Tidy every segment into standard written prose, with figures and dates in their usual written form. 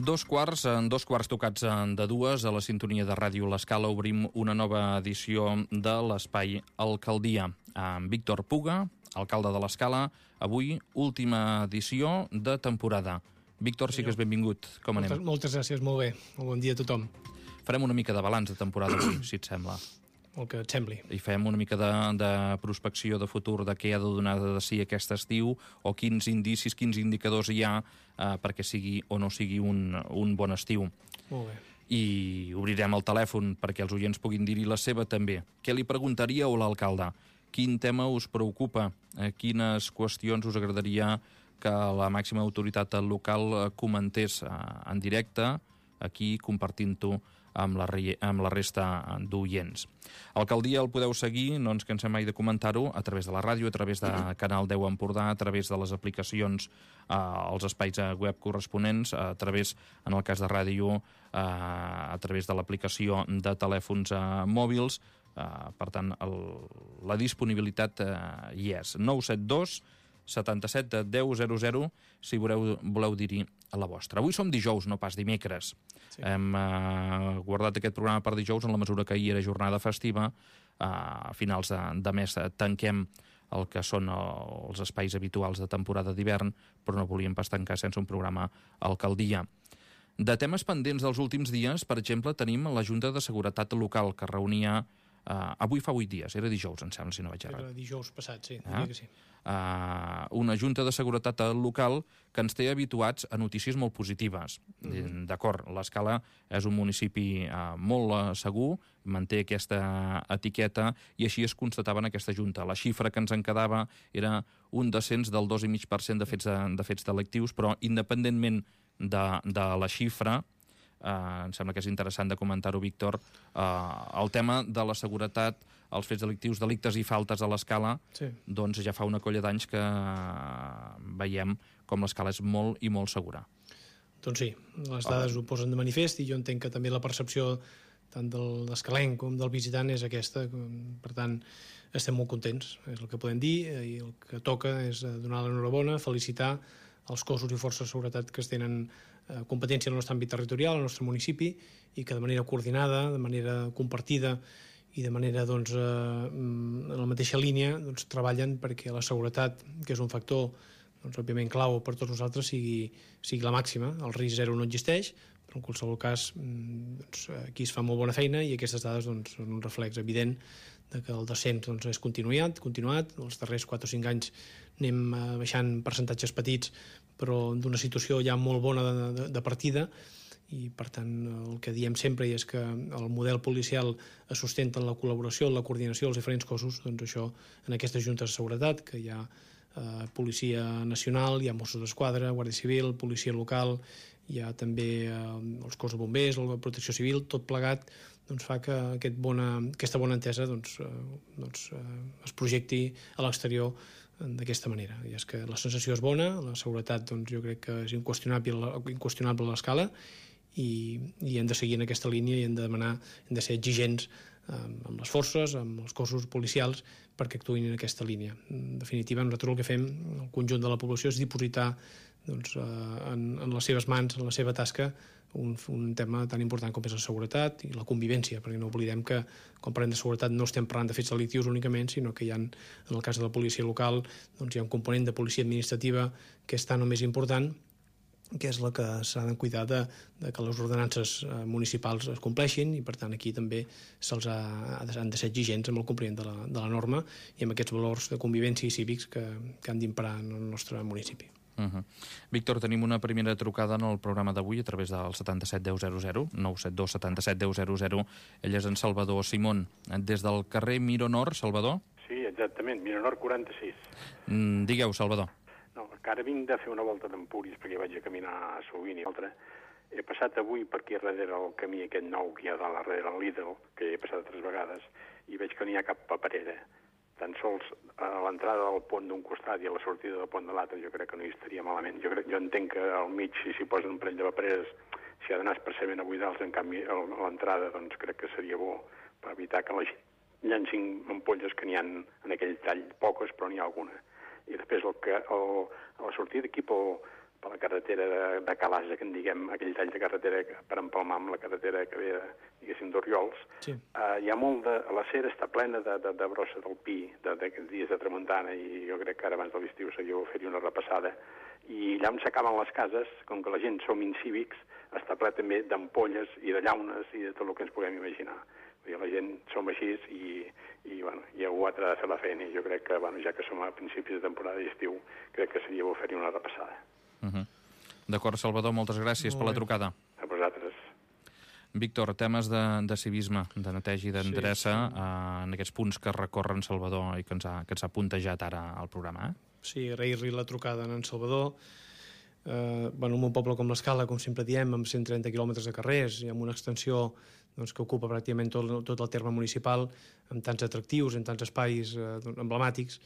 En dos quarts tocats de dues, a la sintonia de Ràdio L'Escala obrim una nova edició de l'Espai Alcaldia. Amb Víctor Puga, alcalde de l'Escala, avui última edició de temporada. Víctor, sí que és benvingut. Com anem? Moltes gràcies, molt bé. Molt bon dia a tothom. Farem una mica de balanç de temporada avui, si et sembla. El que et sembli. I fem una mica de prospecció de futur de què ha de donar de si aquest estiu o quins indicis, quins indicadors hi ha perquè sigui o no sigui un bon estiu. Molt bé. I obrirem el telèfon perquè els oients puguin dir-hi la seva també. Què li preguntaríeu a l'alcalde? Quin tema us preocupa? Quines qüestions us agradaria que la màxima autoritat local comentés en directe, aquí compartint-ho amb la resta d'oients. Alcaldia el podeu seguir, no ens cansem mai de comentar-ho, a través de la ràdio, a través de Canal 10 Empordà, a través de les aplicacions, als espais web corresponents, a través, en el cas de ràdio, a través de l'aplicació de telèfons mòbils. Per tant, la disponibilitat hi és. 972 77 10 00 si voleu dir-hi a la vostra. Avui som dijous, no pas dimecres. Sí. Hem guardat aquest programa per dijous en la mesura que ahir era jornada festiva. A finals de mes tanquem el que són els espais habituals de temporada d'hivern, però no volíem pas tancar sense un programa alcaldia. De temes pendents dels últims dies, per exemple, tenim la Junta de Seguretat Local, que reunia avui fa 8 dies, era dijous, em sembla, si no vaig errat. Era dijous passat, sí, diria que sí. Una Junta de Seguretat Local que ens té habituats a notícies molt positives. D'acord, l'Escala és un municipi molt segur, manté aquesta etiqueta i així es constatava en aquesta Junta. La xifra que ens en quedava era un descens del 2,5% de fets delictius, però independentment de la xifra, em sembla que és interessant de comentar-ho, Víctor, el tema de la seguretat, els fets delictius, delictes i faltes a l'Escala, sí. Doncs ja fa una colla d'anys que veiem com l'Escala és molt i molt segura. Doncs sí, les dades ho posen de manifest i jo entenc que també la percepció tant de l'escalenc com del visitant és aquesta, per tant estem molt contents, és el que podem dir, i el que toca és donar l'enhorabona, felicitar els cossos i forces de seguretat que es tenen competència en el nostre àmbit territorial, al nostre municipi, i que de manera coordinada, de manera compartida i de manera en la mateixa línia treballen perquè la seguretat, que és un factor òbviament clau per tots nosaltres, sigui la màxima. El risc zero no existeix, però en qualsevol cas aquí es fa molt bona feina i aquestes dades són un reflex evident de que el descens és continuat. Els darrers 4 o 5 anys anem baixant percentatges petits, però d'una situació ja molt bona de partida, i per tant el que diem sempre és que el model policial es sustenta en la col·laboració, en la coordinació dels diferents cossos. Doncs això, en aquestes juntes de seguretat, que hi ha Policia Nacional, hi ha Mossos d'Esquadra, Guàrdia Civil, Policia Local, hi ha també els cossos de bombers, la Protecció Civil, tot plegat fa que aquesta bona entesa es projecti a l'exterior d'aquesta manera. I és que la sensació és bona, la seguretat jo crec que és inqüestionable a l'Escala, i hem de seguir en aquesta línia i hem de ser exigents amb les forces, amb els cossos policials perquè actuïn en aquesta línia. En definitiva, nosaltres el que fem, el conjunt de la població, és dipositar en les seves mans, en la seva tasca, un tema tan important com és la seguretat i la convivència, perquè no oblidem que quan parlem de seguretat no estem parlant de fets delictius únicament, sinó que en el cas de la policia local hi ha un component de policia administrativa que és tan o més important, que és la que s'ha de cuidar de que les ordenances municipals es compleixin, i per tant aquí també han de ser exigents amb el compliment de la norma i amb aquests valors de convivència i cívics que han d'imperar en el nostre municipi. Víctor, tenim una primera trucada en el programa d'avui a través del 77 10 00, 972 77 10 00. Ell és en Salvador Simón, des del carrer Mironor. Salvador? Sí, exactament, Mironor 46. Digueu, Salvador. No, que ara vinc de fer una volta d'Empúries perquè vaig a caminar sovint i altra. He passat avui per aquí darrere el camí aquest nou que hi ha darrere el Lidl, que he passat 3 vegades, i veig que no hi ha cap paperera. Tan sols a l'entrada del pont d'un costat i a la sortida del pont de l'altre jo crec que no hi estaria malament. Jo entenc que al mig, si s'hi posen un parell de papereres, s'hi ha d'anar expressament a buidar-los, en canvi a l'entrada crec que seria bo per evitar que la gent llancin ampolles, que n'hi ha en aquell tall, poques, però n'hi ha alguna. I després a la sortida aquí per la carretera de Calasa, que en diguem, aquell tall de carretera per empalmar amb la carretera que ve, diguéssim, d'Oriols. Sí. Hi ha molt de... La cera està plena de brossa del pi, d'aquests dies de tramuntana, i jo crec que ara abans de l'estiu seria fer-hi una repassada. I allà on s'acaben les cases, com que la gent som incívics, està ple també d'ampolles i de llaunes i de tot el que ens puguem imaginar. La gent som així i algú ha de fer la feina, i jo crec que, ja que som a principis de temporada d'estiu, crec que seria bo fer-hi una repassada. D'acord, Salvador, moltes gràcies per la trucada. A vosaltres. Víctor, temes de civisme, de neteja i d'endreça en aquests punts que recorren Salvador i que ens ha puntejat ara al programa. Sí, agrair-li la trucada a en Salvador. En un poble com l'Escala, com sempre diem, amb 130 quilòmetres de carrers i amb una extensió que ocupa pràcticament tot el terme municipal, amb tants atractius, en tants espais emblemàtics,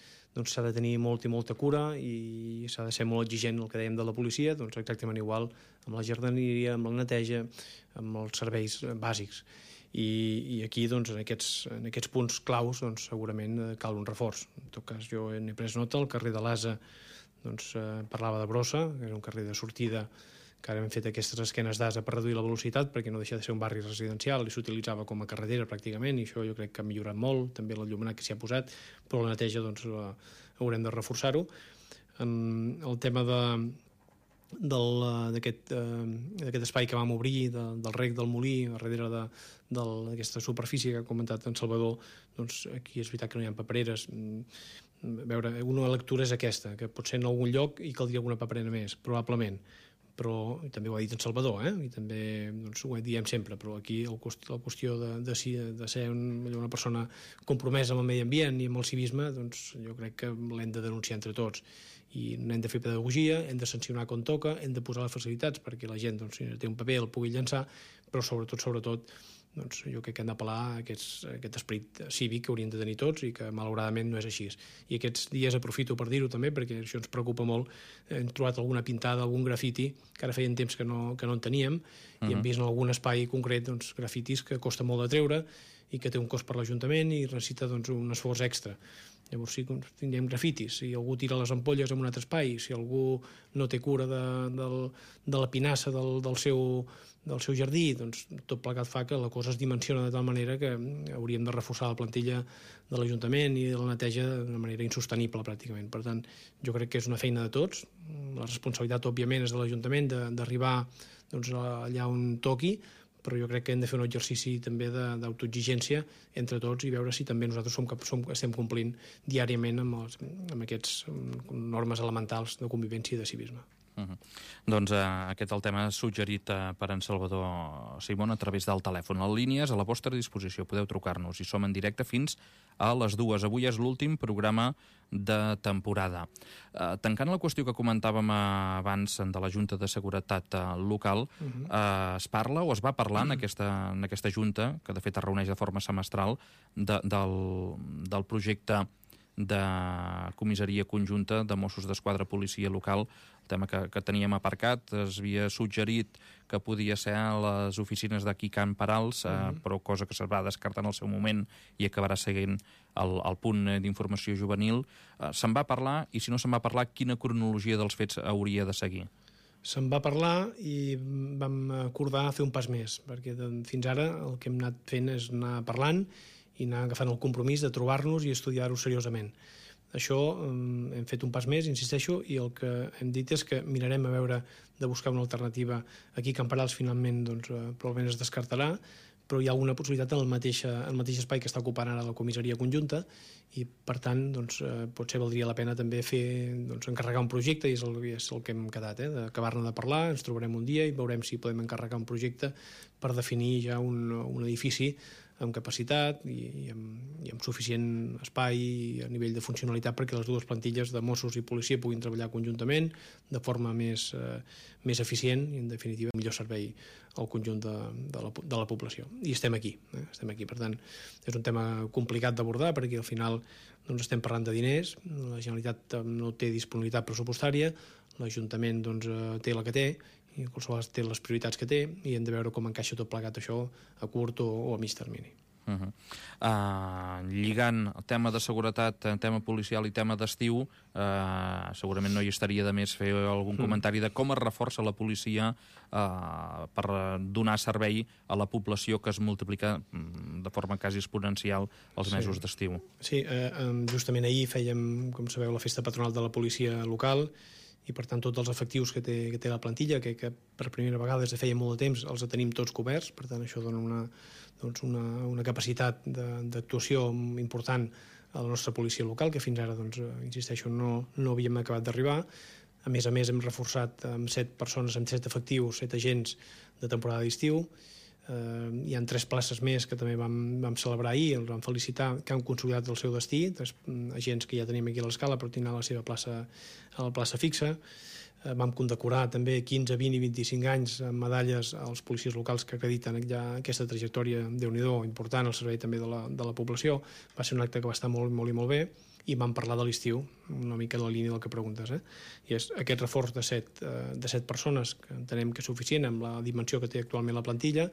s'ha de tenir molta i molta cura i s'ha de ser molt exigent, el que dèiem de la policia, exactament igual amb la jardineria, amb la neteja, amb els serveis bàsics. I aquí, en aquests punts claus, segurament cal un reforç. En tot cas, jo n'he pres nota, el carrer de l'Asa parlava de brossa, que era un carrer de sortida, que ara hem fet aquestes esquenes d'asa per reduir la velocitat, perquè no deixa de ser un barri residencial i s'utilitzava com a carretera pràcticament, i això jo crec que ha millorat molt, també l'enllumenat que s'hi ha posat, però la neteja haurem de reforçar-ho. El tema d'aquest espai que vam obrir, del rec del molí, darrere d'aquesta superfície que ha comentat en Salvador, aquí és veritat que no hi ha papereres. Una lectura és aquesta, que potser en algun lloc hi caldria alguna paperera més, probablement, però també ho ha dit en Salvador, i també ho diem sempre, però aquí la qüestió de ser una persona compromesa amb el medi ambient i amb el civisme, jo crec que l'hem de denunciar entre tots, i n'hem de fer pedagogia, hem de sancionar com toca, hem de posar les facilitats perquè la gent, si té un paper, el pugui llançar, però sobretot jo crec que hem d'apel·lar a aquest esperit cívic que hauríem de tenir tots i que malauradament no és així. I aquests dies aprofito per dir-ho també, perquè això ens preocupa molt. Hem trobat alguna pintada, algun grafiti, que ara feien temps que no en teníem, i hem vist en algun espai concret grafitis que costa molt de treure i que té un cost per l'Ajuntament i necessita un esforç extra. Llavors, si tinguem grafitis, si algú tira les ampolles en un altre espai, si algú no té cura de la pinassa del seu jardí, tot plegat fa que la cosa es dimensiona de tal manera que hauríem de reforçar la plantilla de l'Ajuntament i de la neteja d'una manera insostenible, pràcticament. Per tant, jo crec que és una feina de tots. La responsabilitat, òbviament, és de l'Ajuntament d'arribar allà on toqui, però jo crec que hem de fer un exercici també d'autoexigència entre tots i veure si també nosaltres estem complint diàriament amb aquestes normes elementals de convivència i de civisme. Doncs aquest és el tema suggerit per en Salvador Simón a través del telèfon. Les línies a la vostra disposició, podeu trucar-nos i som en directe fins a les 2. Avui és l'últim programa de temporada. Tancant la qüestió que comentàvem abans de la Junta de Seguretat Local, es parla o es va parlar en aquesta Junta, que de fet es reuneix de forma semestral, del projecte de comissaria conjunta de Mossos d'Esquadra Policia Local, el tema que teníem aparcat. Es havia suggerit que podia ser a les oficines d'aquí Can Parals, però cosa que es va descartar en el seu moment i acabarà seguint el punt d'informació juvenil. Se'n va parlar, i si no se'n va parlar, quina cronologia dels fets hauria de seguir? Se'n va parlar i vam acordar fer un pas més, perquè fins ara el que hem anat fent és anar parlant i anar agafant el compromís de trobar-nos i estudiar-ho seriosament. Això hem fet un pas més, insisteixo, i el que hem dit és que mirarem a veure de buscar una alternativa. Aquí Can Parals finalment probablement es descartarà, però hi ha alguna possibilitat en el mateix espai que està ocupant ara la comissaria conjunta, i per tant potser valdria la pena també encarregar un projecte, i és el que hem quedat, d'acabar-ne de parlar. Ens trobarem un dia i veurem si podem encarregar un projecte per definir ja un edifici amb capacitat i amb suficient espai a nivell de funcionalitat perquè les dues plantilles de Mossos i policia puguin treballar conjuntament de forma més eficient i, en definitiva, millor servei al conjunt de la població. I estem aquí. Per tant, és un tema complicat d'abordar perquè al final estem parlant de diners, la Generalitat no té disponibilitat pressupostària, l'Ajuntament té la que té, i qualsevol té les prioritats que té, i hem de veure com encaixa tot plegat això a curt o a mig termini. Lligant el tema de seguretat, tema policial i tema d'estiu, segurament no hi estaria de més fer algun comentari de com es reforça la policia per donar servei a la població que es multiplica de forma quasi exponencial els mesos d'estiu. Sí, justament ahir fèiem, com sabeu, la festa patronal de la policia local, i per tant tots els efectius que té la plantilla, que per primera vegada des de feia molt de temps els tenim tots coberts, per tant això dona una capacitat d'actuació important a la nostra policia local, que fins ara, insisteixo, no havíem acabat d'arribar. A més, hem reforçat amb 7 persones, amb 7 efectius, 7 agents de temporada d'estiu. Hi ha 3 places més que també vam celebrar ahir, els vam felicitar, que han consolidat el seu destí, 3 agents que ja tenim aquí a l'Escala però tindran la seva plaça a la plaça fixa. Vam condecorar també 15, 20 i 25 anys amb medalles als policies locals que acrediten ja aquesta trajectòria, Déu-n'hi-do, important al servei també de la població. Va ser un acte que va estar molt, molt i molt bé, i vam parlar de l'estiu, una mica en la línia del que preguntes. I és aquest reforç de 7 persones, que entenem que és suficient amb la dimensió que té actualment la plantilla,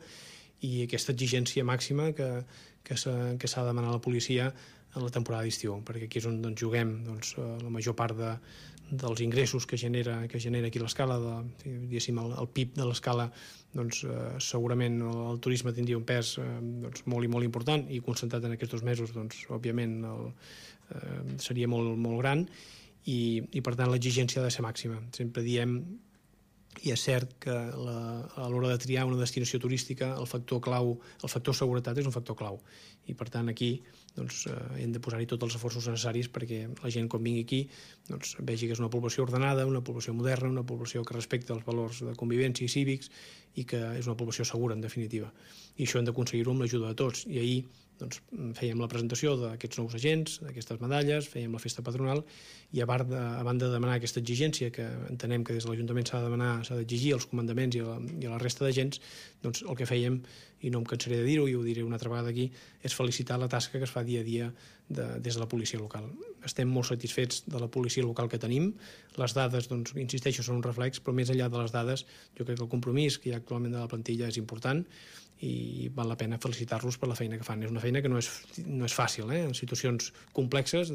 i aquesta exigència màxima que s'ha de demanar a la policia en la temporada d'estiu, perquè aquí és on juguem la major part dels ingressos que genera aquí l'Escala, diguéssim, el PIB de l'Escala, segurament el turisme tindria un pes molt i molt important, i concentrat en aquests 2 mesos, òbviament seria molt, molt gran, i per tant l'exigència ha de ser màxima. Sempre diem, i és cert que a l'hora de triar una destinació turística el factor seguretat és un factor clau, i per tant aquí hem de posar-hi tots els esforços necessaris perquè la gent quan vingui aquí vegi que és una població ordenada, una població moderna, una població que respecta els valors de convivència i cívics, i que és una població segura, en definitiva. I això hem d'aconseguir-ho amb l'ajuda de tots. I ahir fèiem la presentació d'aquests nous agents, d'aquestes medalles, fèiem la festa patronal, i a banda de demanar aquesta exigència que entenem que des de l'Ajuntament s'ha d'exigir als comandaments i a la resta d'agents, el que fèiem, i no em cansaré de dir-ho i ho diré una altra vegada aquí, és felicitar la tasca que es fa dia a dia des de la policia local. Estem molt satisfets de la policia local que tenim. Les dades, insisteixo, són un reflex, però més enllà de les dades, jo crec que el compromís que hi ha actualment de la plantilla és important, i val la pena felicitar-los per la feina que fan. És una feina que no és fàcil, en situacions complexes,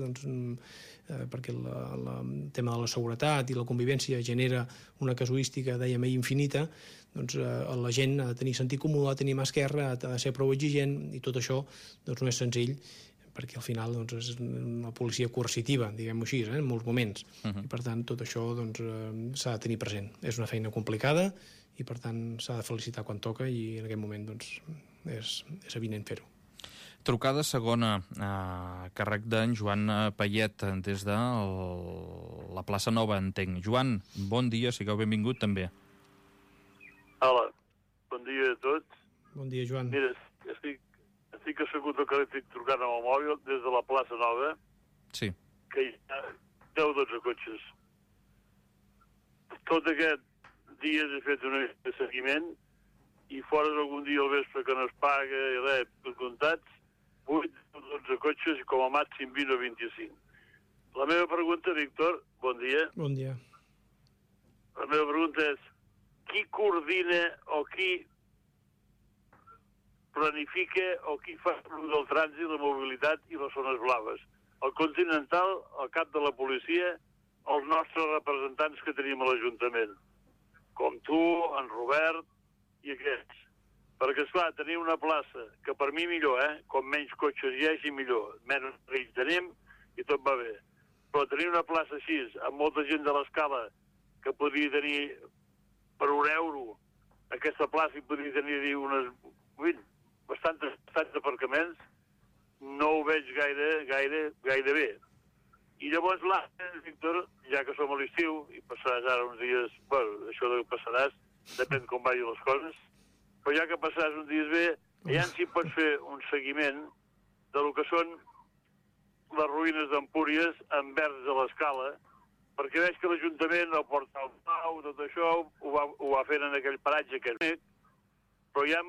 perquè el tema de la seguretat i la convivència genera una casuística, dèiem ahir, infinita. La gent ha de tenir sentit comú, ha de tenir mà esquerra, ha de ser prou exigent, i tot això no és senzill, perquè al final és una policia coercitiva, diguem-ho així, en molts moments. I per tant tot això s'ha de tenir present. És una feina complicada, i per tant s'ha de felicitar quan toca, i en aquest moment és evident fer-ho. Trucada segona, càrrec d'en Joan Payet, des de la plaça Nova, entenc. Joan, bon dia, sigueu benvingut també. Hola, bon dia a tots. Bon dia, Joan. Mira, estic assegut al carrer, estic trucant amb el mòbil des de la plaça Nova, sí, que hi ha 10 o 12 cotxes. Tot aquest dia he fet un seguiment, i fora d'algun dia al vespre que no es paga i res, per comptats, 8 o 12 cotxes i com a màxim 20 o 25. La meva pregunta, Víctor, bon dia. Bon dia. La meva pregunta és, qui coordina o qui planifica o qui fa del trànsit, la mobilitat i les zones blaves? El Continental, el cap de la policia, els nostres representants que tenim a l'Ajuntament, com tu, en Robert i aquests. Perquè, esclar, tenir una plaça, que per mi millor, com menys cotxes hi hagi millor, menys risc tenim i tot va bé. Però tenir una plaça així, amb molta gent de l'Escala, que podria tenir per €1, aquesta plaça hi podria tenir bastants aparcaments, no ho veig gaire bé. I llavors Víctor, ja que som a l'estiu, i passaràs ara uns dies, bueno, això que passaràs, depèn com vagin les coses, però ja que passaràs uns dies bé, allà si pots fer un seguiment del que són les ruïnes d'Empúries envers de l'Escala, perquè veig que l'Ajuntament, el Portal Pau, tot això, ho va fent en aquell paratge que és, però ja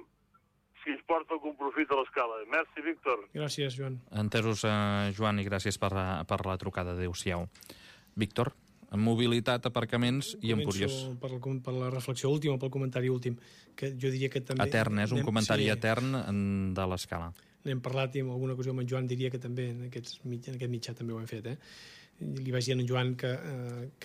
si es porta algun profit a l'Escala. Merci, Víctor. Gràcies, Joan. Entesos, Joan, i gràcies per la trucada. Adéu-siau. Víctor, en mobilitat, aparcaments i Empúries. Per la reflexió última, pel comentari últim, que jo diria que també... Etern, és un comentari etern de l'Escala. n'hem parlat i en alguna ocasió amb en Joan diria que també en aquest mitjà també ho hem fet. Li vaig dir a en Joan que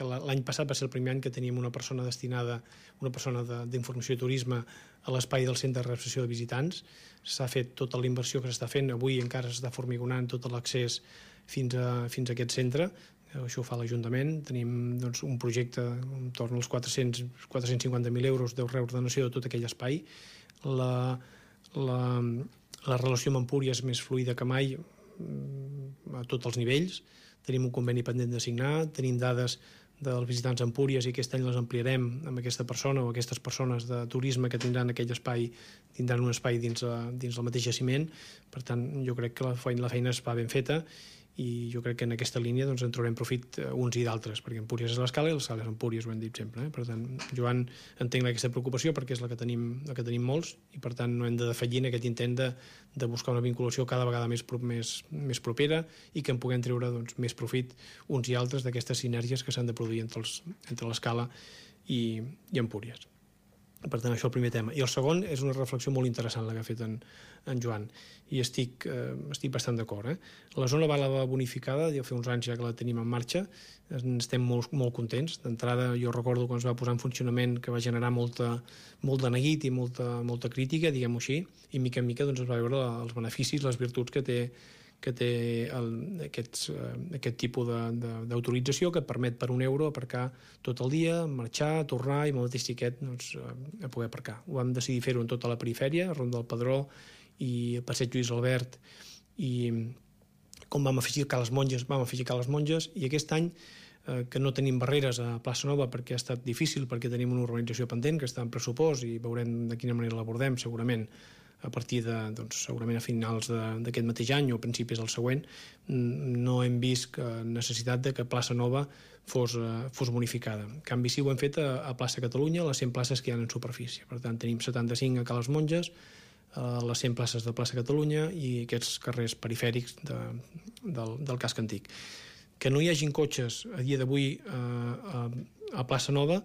l'any passat va ser el primer any que teníem una persona destinada, una persona d'informació i turisme a l'espai del centre de recepció de visitants. S'ha fet tota la inversió que s'està fent, avui encara s'està formigonant tot l'accés fins a aquest centre. Això ho fa l'Ajuntament. Tenim doncs, un projecte entorn als 450.000 euros de reordenació de tot aquell espai. La relació amb Empúries és més fluida que mai a tots els nivells. Tenim un conveni pendent de signar, tenim dades dels visitants a Empúries i aquest any les ampliarem amb aquesta persona o aquestes persones de turisme que tindran aquell espai, tindran un espai dins el mateix jaciment. Per tant, jo crec que la feina es va ben feta i jo crec que en aquesta línia doncs, en traurem profit uns i d'altres, perquè Empúries és l'Escala i l'Escala és Empúries, ho hem dit sempre. Per tant, Joan, entenc aquesta preocupació perquè és la que tenim molts i per tant no hem de defallir en aquest intent de buscar una vinculació cada vegada més propera i que en puguem treure doncs, més profit uns i altres d'aquestes sinergies que s'han de produir entre l'Escala i Empúries. Per tant, això és el primer tema. I el segon és una reflexió molt interessant la que ha fet en Joan i estic bastant d'acord. La zona Bàlava bonificada, ja fa uns anys ja que la tenim en marxa, estem molt contents. D'entrada jo recordo quan es va posar en funcionament que va generar molt de neguit i molta crítica, diguem-ho així, i mica en mica doncs, es va veure els beneficis, les virtuts que té aquest tipus d'autorització que et permet per €1 aparcar tot el dia, marxar, tornar i amb el mateix tiquet doncs, a poder aparcar. Ho vam decidir fer-ho en tota la perifèria, a Ronda del Pedró i a Passeig Lluís Albert, i com vam afegir Ca les Monges, i aquest any que no tenim barreres a Plaça Nova perquè ha estat difícil, perquè tenim una urbanització pendent que està en pressupost i veurem de quina manera l'abordem segurament a partir segurament a finals d'aquest mateix any o a principis del següent. No hem vist necessitat de que Plaça Nova fos bonificada. En canvi, sí ho hem fet a Plaça Catalunya, les 100 places que hi ha en superfície. Per tant, tenim 75 a Ca les Monges, les 100 places de Plaça Catalunya i aquests carrers perifèrics del casc antic. Que no hi hagin cotxes a dia d'avui a Plaça Nova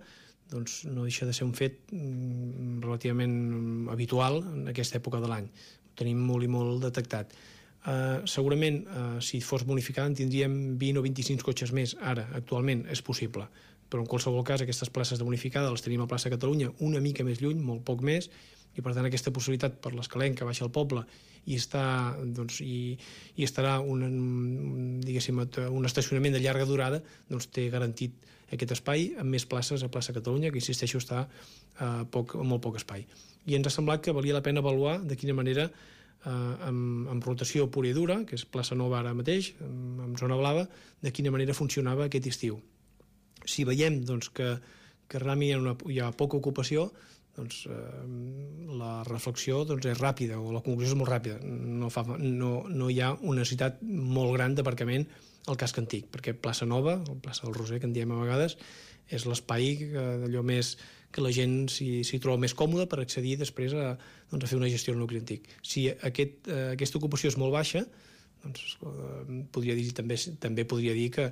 doncs no deixa de ser un fet relativament habitual en aquesta època de l'any. Ho tenim molt i molt detectat. Segurament, si fos bonificada, en tindríem 20 o 25 cotxes més. Ara, actualment, és possible. Però en qualsevol cas, aquestes places de bonificada les tenim a Plaça Catalunya una mica més lluny, molt poc més, i per tant aquesta possibilitat per l'Escalenc que baixa al poble i estarà un estacionament de llarga durada, doncs té garantit aquest espai amb més places a Plaça Catalunya, que insisteixo està a molt poc espai. I ens ha semblat que valia la pena avaluar de quina manera amb rotació pura i dura, que és Plaça Nova ara mateix, amb zona blava, de quina manera funcionava aquest estiu. Si veiem doncs, que realment hi ha poca ocupació, doncs, la reflexió doncs, és ràpida o la conclusió és molt ràpida. No hi ha una necessitat molt gran d'aparcament al casc antic, perquè Plaça Nova, o Plaça del Roser, que en diem a vegades, és l'espai d'allò més que la gent s'hi troba més còmoda per accedir després a fer una gestió al nucli antic. Si aquesta ocupació és molt baixa, doncs també podria dir que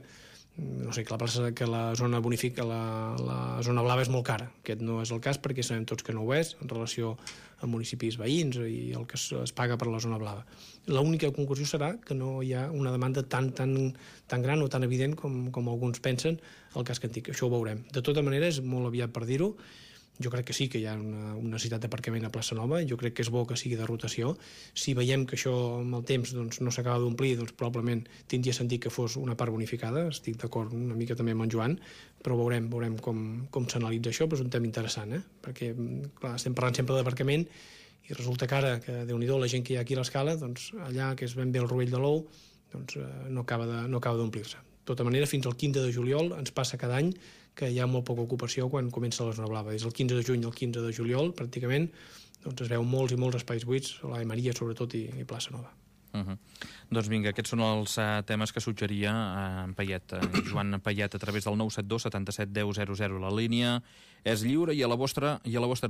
la zona bonifica, la zona blava és molt cara. Aquest no és el cas perquè sabem tots que no ho és en relació amb municipis veïns i el que es paga per la zona blava. L'única conclusió serà que no hi ha una demanda tan gran o tan evident com alguns pensen al casc antic. Això ho veurem. De tota manera, és molt aviat per dir-ho. Jo crec que sí que hi ha una necessitat d'aparcament a Plaça Nova, jo crec que és bo que sigui de rotació. Si veiem que això amb el temps no s'acaba d'omplir, doncs probablement tindria sentit que fos una part bonificada, estic d'acord una mica també amb en Joan, però veurem com s'analitza això, però és un tema interessant, perquè clar, estem parlant sempre d'aparcament i resulta que ara, que Déu-n'hi-do, la gent que hi ha aquí a l'Escala, doncs allà, que és ben bé el Rovell de l'Ou, doncs no acaba d'omplir-se. De tota manera, fins al 15 de juliol ens passa cada any que hi ha molt poca ocupació quan comença la zona blava. Des del 15 de juny al 15 de juliol, pràcticament, doncs es veu molts i molts espais buits, a la Maria sobretot i Plaça Nova. Doncs vinga, aquests són els temes que suggeria en Payet, Joan Payet, a través del 972 77 10 00. La línia és lliure i a la vostra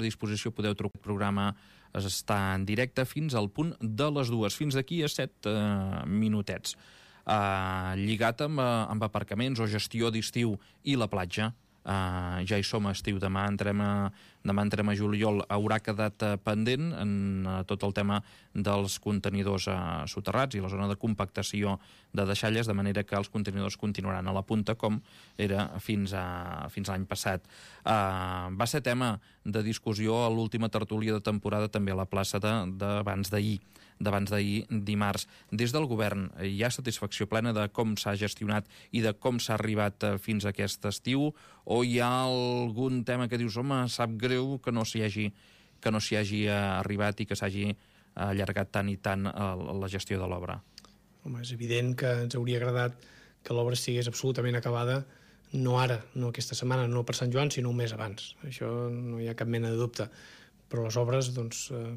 disposició podeu trucar. El programa està en directe fins al punt de les 2, fins d'aquí a 7 minutets. Lligat amb aparcaments o gestió d'estiu i la platja, ja hi som a estiu, demà entrem a juliol, haurà quedat pendent en tot el tema dels contenidors soterrats i la zona de compactació de deixalles, de manera que els contenidors continuaran a la punta com era fins l'any passat. Va ser tema de discussió a l'última tertúlia de temporada també a la plaça d'abans d'ahir dimarts. Des del govern hi ha satisfacció plena de com s'ha gestionat i de com s'ha arribat fins a aquest estiu, o hi ha algun tema que dius, home, sap greu que no s'hi hagi arribat i que s'hagi allargat tant i tant la gestió de l'obra? Home, és evident que ens hauria agradat que l'obra estigués absolutament acabada, no ara, no aquesta setmana, no per Sant Joan, sinó un mes abans. Això no hi ha cap mena de dubte. Però les obres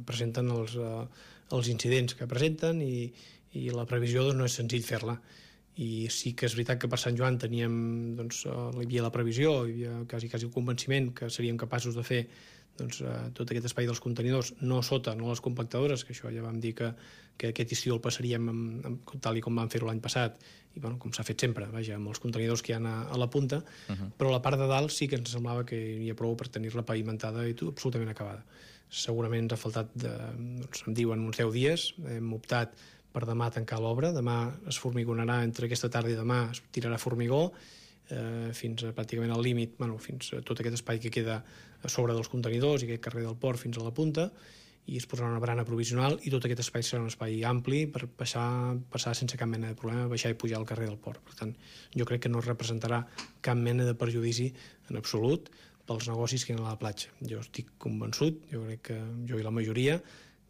presenten els incidents que presenten i la previsió no és senzill fer-la. I sí que és veritat que per Sant Joan teníem, hi havia la previsió, hi havia quasi el convenciment que seríem capaços de fer tot aquest espai dels contenidors, no sota, no les compactadores, que això ja vam dir que aquest estiu el passaríem tal i com vam fer-ho l'any passat, i com s'ha fet sempre, amb els contenidors que hi ha a la punta, però la part de dalt sí que ens semblava que hi havia prou per tenir-la pavimentada i absolutament acabada. Segurament ens ha faltat, em diuen, uns 10 dies, hem optat per demà tancar l'obra, demà es formigonarà, entre aquesta tarda i demà es tirarà formigó, fins pràcticament al límit, fins a tot aquest espai que queda a sobre dels contenidors i aquest carrer del port fins a la punta, i es posarà una barana provisional i tot aquest espai serà un espai ampli per passar sense cap mena de problema, baixar i pujar al carrer del port. Per tant, jo crec que no representarà cap mena de perjudici en absolut pels negocis que hi ha a la platja. Jo estic convençut, jo crec que jo i la majoria,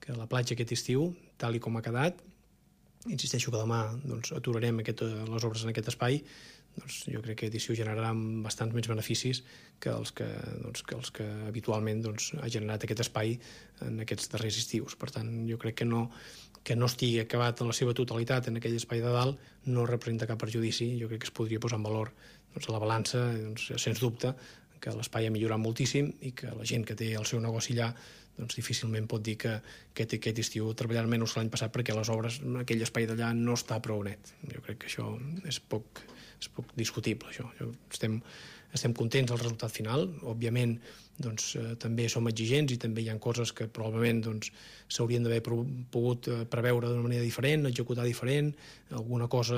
que la platja aquest estiu, tal i com ha quedat, insisteixo que demà aturarem les obres en aquest espai, jo crec que aquest estiu generarà bastants més beneficis que els que habitualment ha generat aquest espai en aquests darrers estius. Per tant, jo crec que no estigui acabat en la seva totalitat en aquell espai de dalt no representa cap perjudici. Jo crec que es podria posar en valor a la balança, sens dubte, que l'espai ha millorat moltíssim i que la gent que té el seu negoci allà difícilment pot dir que aquest estiu treballarà menys que l'any passat perquè les obres en aquell espai d'allà no està prou net. Jo crec que això és poc discutible, això. Estem contents del resultat final. Òbviament, també som exigents i també hi ha coses que probablement s'haurien d'haver pogut preveure d'una manera diferent, executar diferent. Alguna cosa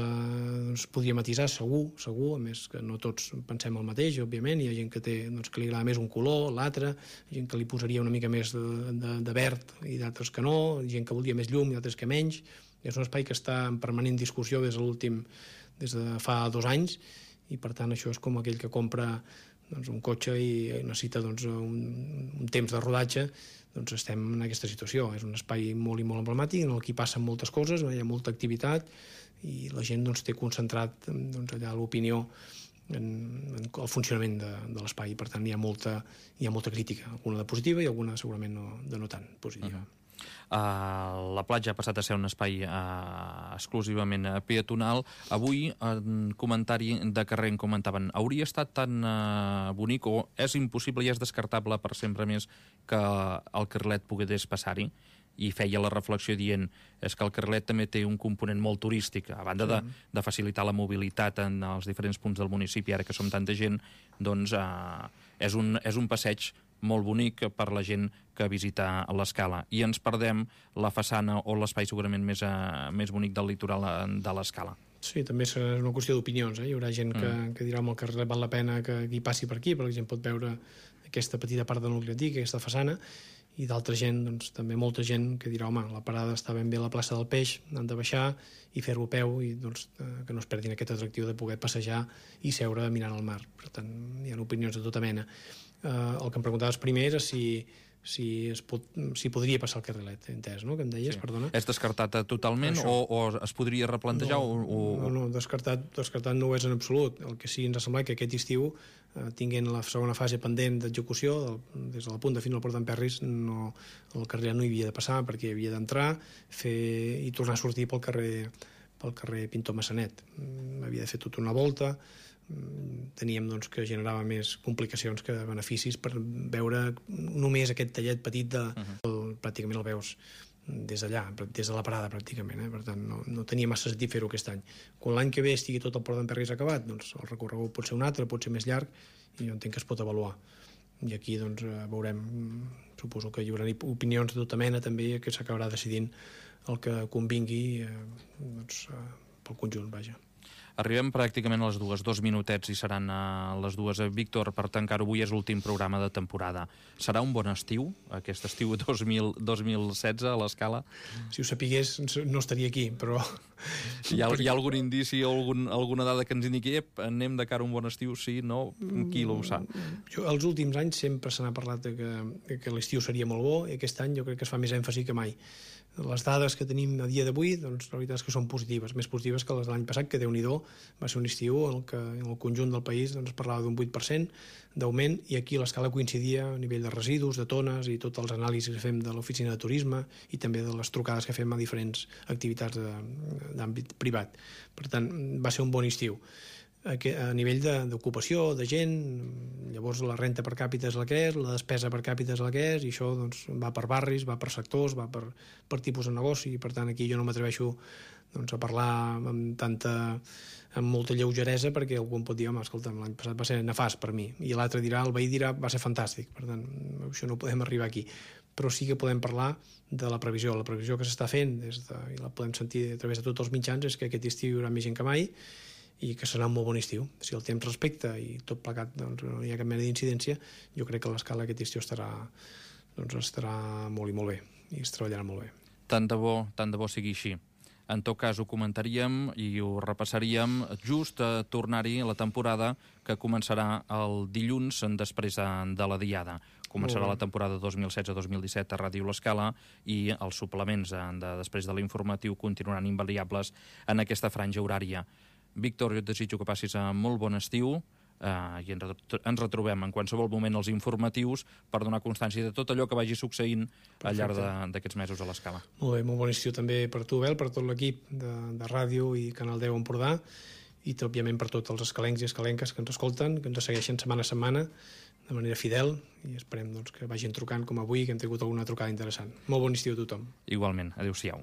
podria matisar, segur, a més que no tots pensem el mateix, òbviament. Hi ha gent que li agrada més un color, l'altre, gent que li posaria una mica més de verd i d'altres que no, gent que voldria més llum i altres que menys. És un espai que està en permanent discussió des de fa 2 anys, i per tant això és com aquell que compra un cotxe i necessita un temps de rodatge. Estem en aquesta situació. És un espai molt i molt emblemàtic en el que passen moltes coses, hi ha molta activitat i la gent té concentrat allà l'opinió en el funcionament de l'espai. Per tant, hi ha molta crítica, alguna de positiva i alguna segurament no tan positiva. La platja ha passat a ser un espai exclusivament peatonal. Avui, en comentari de carrer, en comentaven, hauria estat tan bonic o és impossible i és descartable per sempre més que el carrilet pogués passar-hi? I feia la reflexió dient és que el carrilet també té un component molt turístic, a banda de facilitar la mobilitat en els diferents punts del municipi, ara que som tanta gent, doncs és un passeig molt bonic per la gent que visita l'Escala. I ens perdem la façana o l'espai segurament més bonic del litoral de l'Escala. Sí, també és una qüestió d'opinions. Hi haurà gent que dirà que el carrer val la pena que hi passi per aquí, perquè la gent pot veure aquesta petita part del nucli antic, aquesta façana, i d'altra gent, també molta gent que dirà, home, la parada està ben bé a la plaça del Peix, han de baixar i fer-ho a peu i que no es perdin aquest atractiu de poder passejar i seure mirant el mar. Per tant, hi ha opinions de tota mena. El que em preguntaves primer era si podria passar el carrilet, entès, no?, que em deies, perdona. És descartat totalment o es podria replantejar? No, descartat no ho és en absolut. El que sí ens ha semblat que aquest estiu, tinguent la segona fase pendent d'execució, des de la punta fins al Port d'Emperris, el carrilet no hi havia de passar perquè havia d'entrar i tornar a sortir pel carrer Pintor Massanet. Havia de fer tota una volta. Teníem que generava més complicacions que beneficis per veure només aquest tallet petit pràcticament el veus des d'allà, des de la parada pràcticament, per tant no tenia massa sentit fer-ho aquest any. Quan l'any que ve estigui tot el Port d'Emperris acabat, doncs el recorregut pot ser un altre, pot ser més llarg, i jo entenc que es pot avaluar. I aquí doncs veurem, suposo que hi haurà opinions de tota mena també, que s'acabarà decidint el que convingui pel conjunt, vaja. Arribem pràcticament a les 2 minutets i seran les 2. Víctor, per tancar-ho, avui és l'últim programa de temporada. Serà un bon estiu, aquest estiu 2016 a l'Escala? Si ho sapigués no estaria aquí, però... Hi ha algun indici o alguna dada que ens indiqui anem de cara a un bon estiu, sí, no? Qui ho sap? Els últims anys sempre se n'ha parlat que l'estiu seria molt bo, i aquest any jo crec que es fa més èmfasi que mai. Les dades que tenim a dia d'avui, doncs la veritat és que són positives, més positives que les de l'any passat, que Déu-n'hi-do, va ser un estiu en què en el conjunt del país es parlava d'un 8% d'augment, i aquí l'Escala coincidia a nivell de residus, de tones, i tots els anàlisis que fem de l'oficina de turisme i també de les trucades que fem a diferents activitats d'àmbit privat. Per tant, va ser un bon estiu. A nivell d'ocupació, de gent, llavors la renta per càpita és la que és, la despesa per càpita és la que és, i això doncs, va per barris, va per sectors, va per tipus de negoci, i per tant aquí jo no m'atreveixo a parlar amb molta lleugeresa, perquè algú em pot dir, home, escolta'm, l'any passat va ser nefast per mi, i l'altre dirà, el veí dirà, va ser fantàstic. Per tant, això no podem arribar aquí. Però sí que podem parlar de la previsió. La previsió que s'està fent, i la podem sentir a través de tots els mitjans, és que aquest estiu hi haurà més gent que mai, i que serà un molt bon estiu. Si el temps respecta i tot plegat doncs, no hi ha cap mena d'incidència, jo crec que l'Escala aquest estiu estarà molt i molt bé, i es treballarà molt bé. Tant de bo sigui així. En tot cas, ho comentaríem i ho repassaríem just a tornar-hi a la temporada que començarà el dilluns després de la Diada. Començarà la temporada 2016-2017 a Ràdio L'Escala, i els suplements després de l'informatiu continuaran invariables en aquesta franja horària. Víctor, jo et desitjo que passis molt bon estiu, i ens retrobem en qualsevol moment als informatius per donar constància de tot allò que vagi succeint al llarg d'aquests mesos a l'Escala. Molt bé, molt bon estiu també per tu, Bel, per tot l'equip de ràdio i Canal 10 Empordà, i òbviament per tots els escalencs i escalenques que ens escolten, que ens segueixen setmana a setmana de manera fidel, i esperem que vagin trucant com avui, que hem tingut alguna trucada interessant. Molt bon estiu a tothom. Igualment, adéu-siau.